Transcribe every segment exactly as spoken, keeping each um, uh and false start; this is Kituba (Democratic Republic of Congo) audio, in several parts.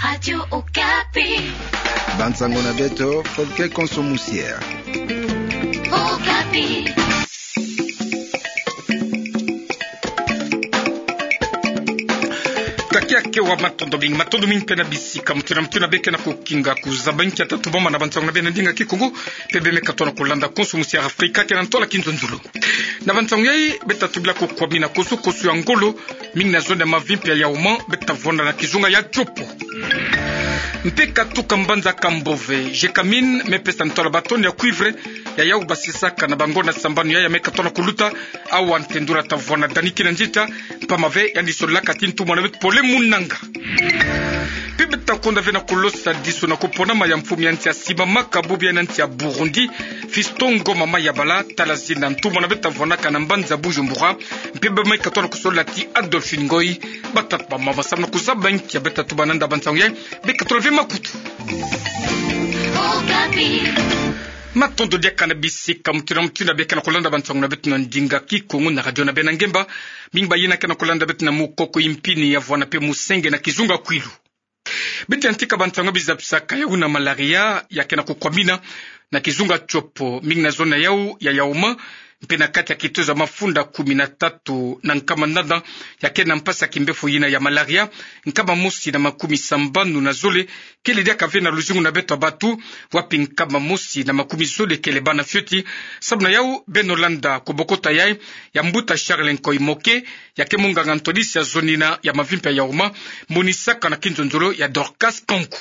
Radio Okapi. Bansango na beto, Folke Konso Musier. Okapi. Kakiaki wa matondo mingi, matondo mingi mpe na bisika mutu na mutu na bê ke na kukinga kuzaba nkia tatu boma na bansango na bê na ndinga Kikongo, mpe bê me katono kulanda Konso Musier Afrika ke na ntola kinzonzolo. Na bansango yai, bê tatu bila kukwamina kosu-kosu ya ngolo, mingi na zone ya Mavimpi ya Yaouma, bê tavwanda na kizunga ya Tshopo. Mpe katuka mbanza Kambove, Gécamines, me pesa ntola ba tonnes ya cuivre, ya yau basisaka na bangonda sambanu yai ya me katono kuluta, awa ntendula tavwanda dani kina nzita, mpamba ve yandi solaka ti ntumwa na beto Paul-e Munanga. Mpe bê takonda ve na kulosa disu na kuponama ya mfumu ya nsi ya Simama Kabubi ya na nsi ya Burundi, Fiston Ngoma Mayabala, tala zina ntumwa na beto tavwandaka na mbanza Bujumbura, mpe bê me katono kusola ti Adolphine Ngoy, batata bamama samu na kuzaba nkia bê tatu bananda bansango yai, bê katola ve makutu. Matondo diaka na bisika mutu na mutu na bê ke na kulanda bansango na beto na ndinga Kikongo na radio na bê na ngemba, mingi bayina ke na kulanda beto na mukoko, impini ya vwanda mpe musenge na kizunga Kwilu. Bê tiantika bansango bizabisaka ya una malaria ya ke na kukwamina na kizunga Tshopo, mingi na zone ya yau ya Yaouma, mpe na kati ya kitezo ya mafunda kumi na tatu na nkama nana ya ke na mpasi ya kimbefo yina ya malaria, nkama mosi na makumi sambanu na zole kele diaka ve na luzingu na beto ya batu, wapi nkama mosi na makumi zole kele bana fioti. Samu na yau, beno landa kubokota yai ya mbuta Charles Nkoy Moke, ya ke munganga ntwadisi ya zone yina ya Mavimpi ya Yaouma, monisaka na kinzonzolo ya Dorcas Kanku.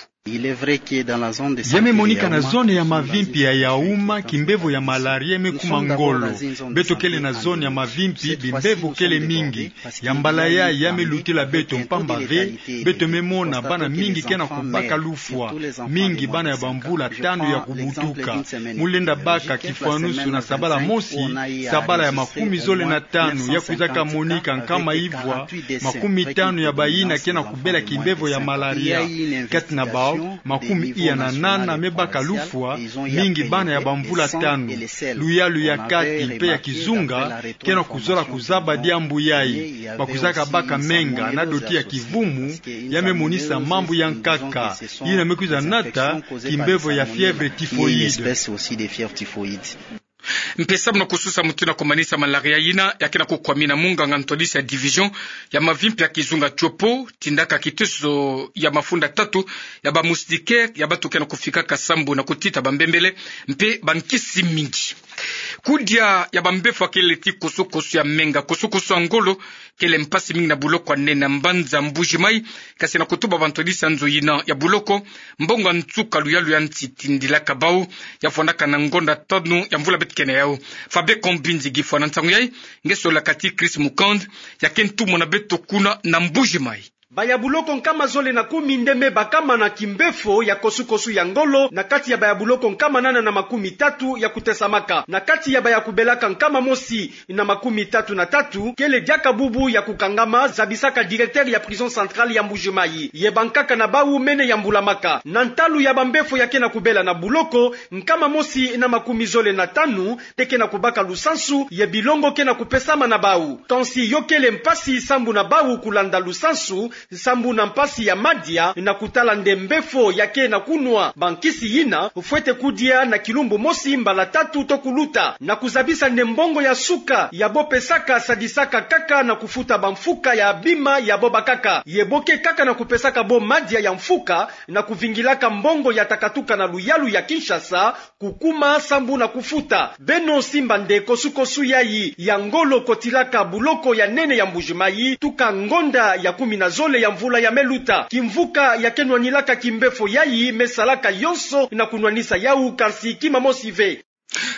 Ya me monika na zone ya Mavimpi ya Yaouma, kimbevo ya malaria me kuma ngolo. Beto kele na zone ya Mavimpi, bimbevo kele mingi. Ya mbala yai ya me lutila beto mpamba ve, beto me mona bana mingi ke na kubaka lufwa. Mingi bana ya bamvula tanu ya kubutuka. Mu lenda baka kifwanusu na sabala mosi, sabala ya makumi zole na tanu ya kwizaka monika nkama ivwa, makumi tanu ya bayina ke na kubela kimbevo ya malaria. Kati na bau, makumi iya na nana me baka lufwa, mingi bana ya bamvula tanu. Luyalu ya kati mpe ya kizunga ke na kuzola kuzaba diambu yai. Bakwizaka baka menga na doti ya kivumu, ya me monisa mambu ya nkaka, yina me kwiza nata kimbevo ya fièvre typhoïde. Mpe samu na kususa mutu na kumanisa malaria yina, ya ke na kukwamina munganga ntwadisi ya division ya Mavimpi ya kizunga Tshopo, tindaka kitezo ya mafunda tatu ya ba moustiquaire ya bato ke na kufikaka sambu na kutita bambembele mpe bankisi mingi. Kudia ya bambefo ya kele ti kosu-kosu ya menga, kosu-kosu ya ngolo, kele mpasi mingi na buloko ya nene ya mbanza Mbuji-Mayi, kasi na kutuba bantwadisi ya nzo yina ya buloko, mbongo ya nsuka luyalu ya nsi tindilaka bau, ya vwandaka na ngonda tanu ya mvula beto ke na yau. Fabien Kombinzi Gifwa na nsangu yai, nge solaka ti Chris Mukand, ya ke ntumwa na beto kuna na Mbuji-Mayi. Baya buloko nkama zole na kumi nde me bakama na kimbefo ya kosu-kosu ya ngolo, na kati ya baya buloko nkama nana na makumi tatu ya kutesamaka. Na kati ya baya kubelaka nkama mosi na makumi tatu na tatu, kele diaka bubu ya kukangama, zabisaka directeur ya prison centrale ya Mbuji-Mayi. Ye bankaka na bau mene yambulamaka. Na ntalu ya bambefo ya ke na kubela na buloko, nkama mosi na makumi zole na tanu nde ke na kubaka lusansu, ye bilongo ke na kupesama na bau. Kansi yo kele mpasi sambu na bau kulanda lusansu, sambu na mpasi ya madia, na kutala nde mbefo ya ke na kunwa bankisi yina, fwete kudia na kilumbu mosi mbala tatu to kuluta, na kuzabisa nde mbongo ya suka ya bo pesaka sadisaka kaka na kufuta bamfuka ya bima ya bo bakaka. Ye bo ke kaka na kupesaka bo madia ya mfuka, na kuvingilaka mbongo ya takatuka na luyalu ya Kinshasa, kukuma sambu na kufuta. Beno simba nde kosu-kosu yai ya ngolo kotilaka buloko ya nene ya Mbuji-Mayi, tuka ngonda ya kumi na zole ya mvula ya me luta. Kimvuka ya ke nwanilaka kimbefo yai me salaka yonso na kunwanisa yau, kansi kima mosi ve.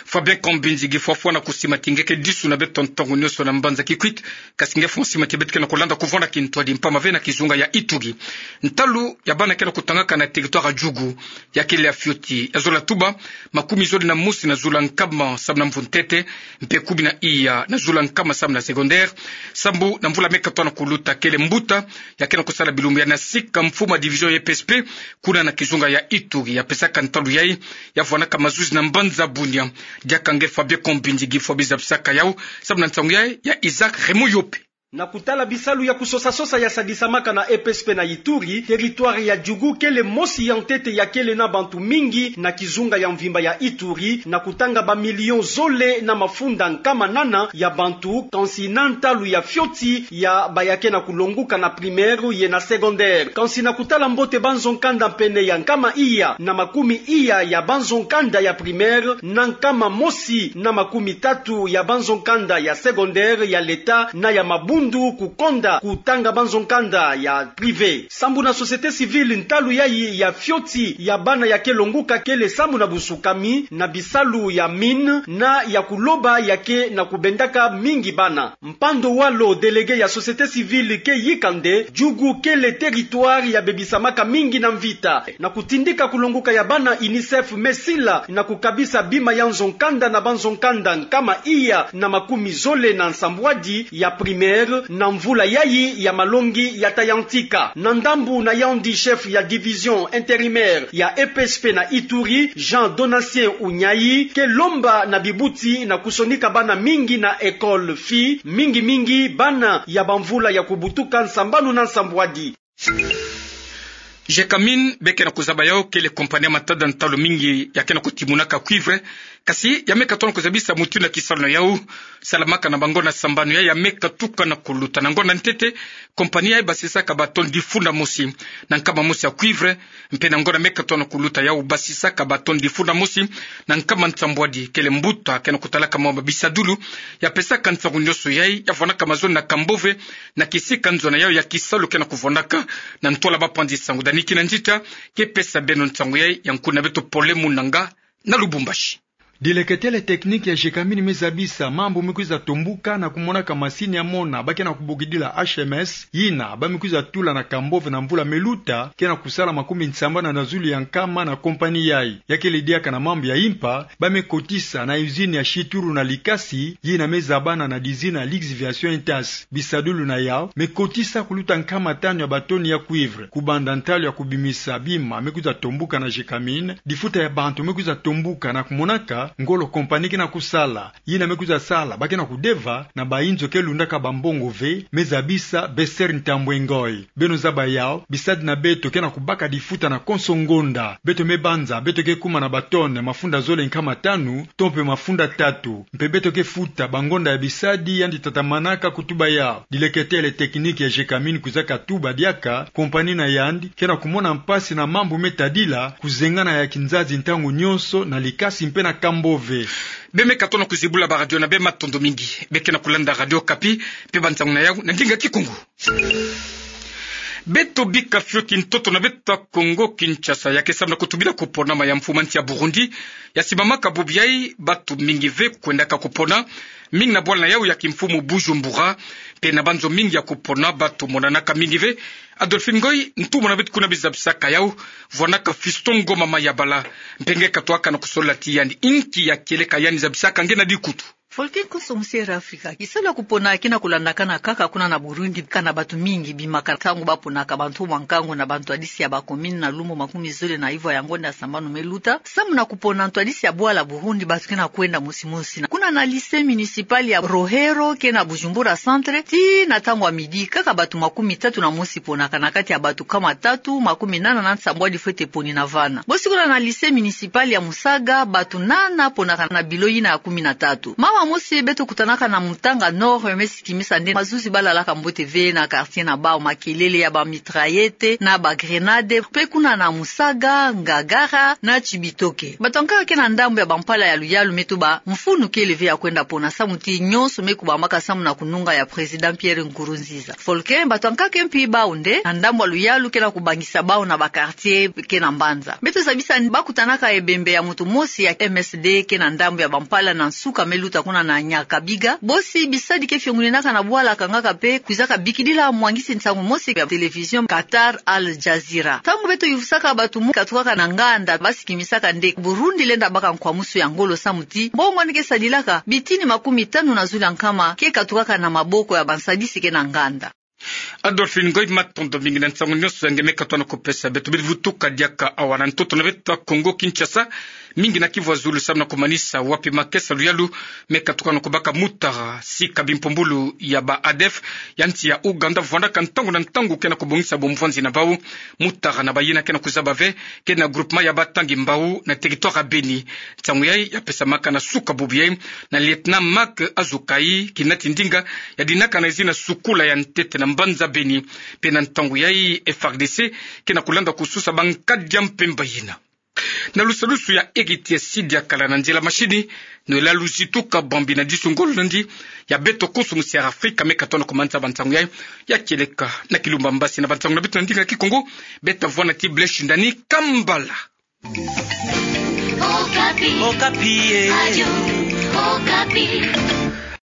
Fabien Kombinzi Gifwa, fwana kusimati nge ke disu na beto ntongo nionso na mbanza Kikwit, kasi nge fwana simati beto ke na kulanda kuvwanda kintwadi mpamba ve na kizunga ya Ituri. Ntalu ya bana ke na kutangaka na territoire ya Djugu, ya kele ya fioti, ya zola tuba, makumi zole na mosi na zula nkama sambu na mvu ntete, mpe kumi na iya na zula nkama sambu na secondaire, sambu na mvula me katono kuluta. Kele mbuta ya ke na kusala bilumbu ya nasika mfumu ya division ya P S P, kuna na kizunga ya Ituri, ya pesaka ntalu yai, ya vwanaka mazuzi na mbanza Bunia. Diaka nge Fabien Kombinzi Gifwa biza bisaka yau, sambu na nsangu yai ya Isaac Raymond Yope. Na kutala bisalu ya kusosa-sosa ya sadisamaka na E P S P na Ituri, territoire ya Djugu kele mosi ya ntete ya kele na bantu mingi na kizunga ya mvimba ya Ituri, na kutanga ba millions zole na mafunda nkama nana ya bantu, kansi na ntalu ya fioti ya baya ke na kulonguka na primaire ye na secondaire. Kansi na kutala mbote banzo nkanda pene ya nkama iya na makumi iya ya banzo nkanda ya primaire, na nkama mosi na makumi tatu ya banzo nkanda ya secondaire ya l'État na ya mabundu kukonda kutanga banzo nkanda ya privé. Sambu na société civile, ntalu yayi ya fioti ya bana ya ke longuka kele sambu na busukami na bisalu ya mine na ya kuloba ya ke na kubendaka mingi bana. Mpando Walo, délégué ya société civile, ke yika nde Djugu kele territoire ya bebisamaka mingi na mvita. Na kutindika kulonguka ya bana, UNICEF me sila na kukabisa bima ya nzo nkanda na banzo nkanda nkama iya na makumi zole na nsambwadi ya primaire na mvula yayi ya malongi ya ta yantika. Na ndambu na yandi, chef ya division intérimaire ya E P S P na Ituri, Jean Donatien Unyayi, ke lomba na bibuti na kusonika bana mingi na école filles, mingi-mingi bana ya bamvula ya kubutuka nsambanu na nsambwadi. Gécamines, be ke na kuzaba yau, kele compagnie ya matada ntalu mingi ya ke na kutimunaka cuivre, kasi ya me katuka na kuzabisa mutindu na kisalu na yau salamaka na bangonda sambanu yayi ya me katuka na kuluta. Na ngonda ntete, compagnie yayi basisaka ba tonnes difunda mosi na nkama mosi ya cuivre, mpe na ngonda me katuka na kuluta yau basisaka ba tonnes difunda mosi na nkama nsambwadi. Kele mbuta ke na kutalaka mwa bisadulu ya pesaka nsangu nyonso yayi ya vwandaka mazono na Kambove, na kisika nzo na yau ya kisalu ke na kuvwandaka. Na ntwala bapanzi nsangu, Dani Kinanzita ke pesa beno nsangu yayi. Ya nkuna beto Pole Munanga na Lubumbashi. Dileketele technique ya Gécamines me zabisa mambu me kwiza tombuka na kumonaka masini ya mona ba ke na kubokidila H M S, yina ba me kwiza tula na Kambove na mvula me luta, ke na kusala makumbi nsambanu na zulu ya nkama na compagnie yayi. Ya kele diaka na mambu ya impa, ba me kotisa na usine ya Chituru na Likasi, yina me zabana na dizina Lixiviation Intas. Bisadulu na yau me kotisa kuluta nkama tanu ya ba tonnes ya cuivre. Kubanda ntalu ya kubimisa bima me kwiza tombuka na Gécamines, difuta ya bantu me kwiza tombuka na kumonaka ngolo compagnie ke na kusala. Yina me kwiza sala ba ke na kudeva na ba inzo ke lundaka bambongo ve, me zabisa Bester Ntambwe Ngoy. Beno zaba yau, bisadi na beto ke na kubaka difuta na konso ngonda. Beto me banza beto ke kuma na ba tonnes mafunda zole nkama tanu to mpe mafunda tatu. Mpe beto ke futa bangonda ya bisadi yandi tatamanaka kutuba yau. Dileketele technique ya Gécamines kwizaka tuba diaka compagnie na yandi ke na kumona mpasi na mambu me tadila kuzengana ya kinzazi ntangu nyonso na Likasi mpe na Kambove. Be me katuka na kuzibula ba radio na be, matondo mingi. Be ke na kulanda Radio Okapi, mpe bansangu na yau na ndinga Kikongo. Beto bika fioti ntoto na beto ya Kongo Kinshasa, ya ke samu na kutubila kuponama ya mfumu ya nsi ya Burundi. Ya simamaka bubu yayi, batu mingi ve kwendaka kupona, mingi na bwala na yau ya kimfumu Bujumbura, mpe na banzo mingi ya kupona batu monanaka mingi ve. Adolphine Ngoy, ntumwa na beto kuna bizabisaka yau, vwanaka Fiston Ngoma Mayabala, mpe nge katuka na kusolola ti yandi inki ya kieleka yandi zabisaka nge na dikutu. Volcan Consommation Africa. Kisalu ya kupona ke na kulandakana kaka kuna na Burundi, kana batu mingi bimaka ntangu baponaka bantu mwa nkangu na bantwadisi ya ba commune na lumbu makumi zole na ivwa ya ngonda ya sambanu me luta. Samu na kupona ntwadisi ya bwala Burundi, batu ke na kwenda mosi mosi. Na kuna na lycée municipal ya Rohero ke na Bujumbura Centre, tii na ntangu ya midi, kaka batu makumi tatu na mosi ponaka na kati ya batu nkama tatu, makumi nana na nsambwadi fwete poni na vana. Bosi kuna na lycée municipal ya Musaga, batu nana ponaka na bilo yina ya kumi na tatu. Mama mosi beto kutanaka na Mutanga Nord me sikimisa nde mazuzi balalaka mbote ve na quartier na bau, makelele ya ba mitraillette na ba grenades, mpe kuna na Musaga, Ngagara na Cibitoke. Bato ya nkaka ke na ndambu ya bampala ya luyalu me tuba mfunu kele ve ya kwenda pona, samu ti nyonso me kubamaka samu na kununga ya Président Pierre Nkurunziza. Volcan, bato ya nkaka mpi bau nde na ndambu ya luyalu ke na kubangisa bau na ba quartier ke na mbanza. Beto zabisa nde bakutanaka ebembe ya moto mosi ya M S D ke na ndambu ya bampala na nsuka me luta kuna na Nyakabiga. Bosi bisadi ke fiongoninaka na bwala kangaka mpe kwizaka bikidila mwangisi nsangu mosi ya télévision Qatar Al Jazeera. Ntangu beto yuvusaka batu mu katukaka na nganda, basi kimisaka nde Burundi lenda baka nkwamusu ya ngolo samu ti mbongo yandi ke sadilaka, bitini makumi tanu na zulu ya nkama ke katukaka na maboko ya bansadisi ke na nganda. Adolphine Ngoy, matondo mingi na nsangu nyonso ya nge me katoa na kupesa beto. Bidi vutuka diaka awa na ntoto na beto ya Kongo Kinshasa, mingi na kivwa zulu samu na kumanisa wapi makesa luyalu me katuka na kubaka mutara, sika bimpumbulu ya ba ADF ya nsi ya Ouganda vwandaka ntangu na ntangu ke na kubongisa bomvwanzi na bau. Mutara na bayina ke na kuzaba ve ke na groupement ya Batangi Mbau na territoire ya Beni. Nsangu yai ya pesamaka na suka bubu yai na lieutenant Marc Azukai, kinati ndinga ya dinaka na zina sukula ya ntete na mbanza Beni. Mpe na ntangu yai, FARDC ke na kulanda kususa bankadi ya mpemba yina. Na lusalusu ya Heritier Sidi, akala na nzila mashini, nwela luzitu ka bambi na disu ngolo nandi ya beto konso musi ya Afrika me katoa na kumanza bansangu yai. Ya kieleka na Kilumba Mbasi na bansangu na beto na ndinga Kikongo, beta vwanda ti Blaise Shindani Kambala. Okapi. Okapi, eh. Radio Okapi.